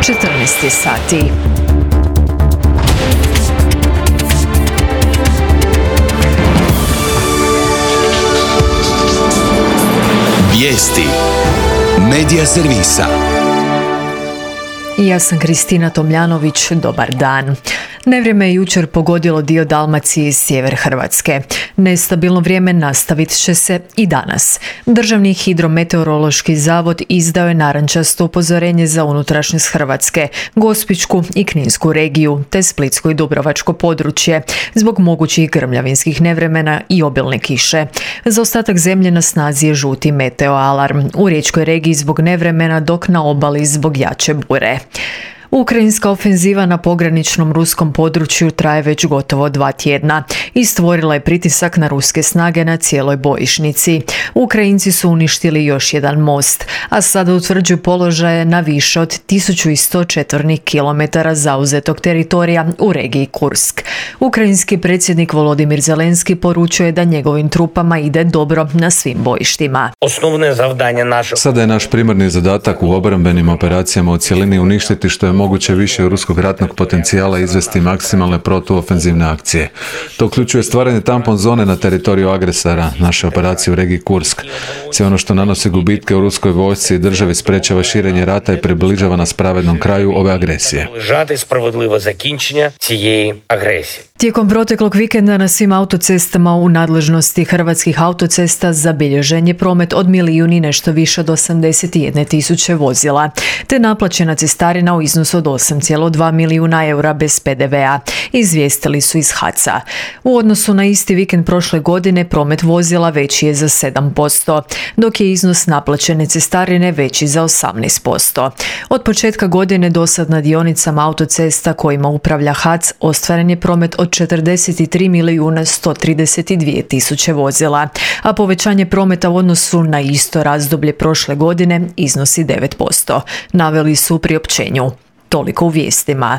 14 sati. Vijesti Medija servisa. Ja sam Kristina Tomljanović, dobar dan. Nevrijeme je jučer pogodilo dio Dalmacije i sjever Hrvatske. Nestabilno vrijeme nastavit će se i danas. Državni hidrometeorološki zavod izdao je narančasto upozorenje za unutrašnjost Hrvatske, Gospićku i Kninsku regiju, te Splitsko i Dubrovačko područje, zbog mogućih grmljavinskih nevremena i obilne kiše. Za ostatak zemlje na snazi je žuti meteo alarm. U riječkoj regiji zbog nevremena, dok na obali zbog jače bure. Ukrajinska ofenziva na pograničnom ruskom području traje već gotovo 2 tjedna i stvorila je pritisak na ruske snage na cijeloj bojišnici. Ukrajinci su uništili još jedan most, a sada utvrđuju položaje na više od 1100 četvornih kilometara zauzetog teritorija u regiji Kursk. Ukrajinski predsjednik Volodimir Zelenski poručuje da njegovim trupama ide dobro na svim bojištima. Sada je naš primarni zadatak u obrambenim operacijama u cjelini uništiti što je moguće više ruskog ratnog potencijala i izvesti maksimalne protuofenzivne akcije. To uključuje stvaranje tampon zone na teritoriju agresora, naše operacije u regiji Kursk. Sve ono što nanosi gubitke u ruskoj vojsci i državi sprečava širenje rata i približava nas pravednom kraju ove agresije. Tijekom proteklog vikenda na svim autocestama u nadležnosti Hrvatskih autocesta zabilježen je promet od 1 i nešto više od 81.000 vozila, te naplaćena cestarina u iznosu od 8,2 milijuna eura bez PDV-a, izvijestili su iz HAC-a. U odnosu na isti vikend prošle godine promet vozila veći je za 7%, dok je iznos naplaćene cestarine veći za 18%. Od početka godine dosad na dionicama autocesta kojima upravlja HAC ostvaren je promet od 43.132.000 vozila, a povećanje prometa u odnosu na isto razdoblje prošle godine iznosi 9%, naveli su u priopćenju. Toliko u vijestima.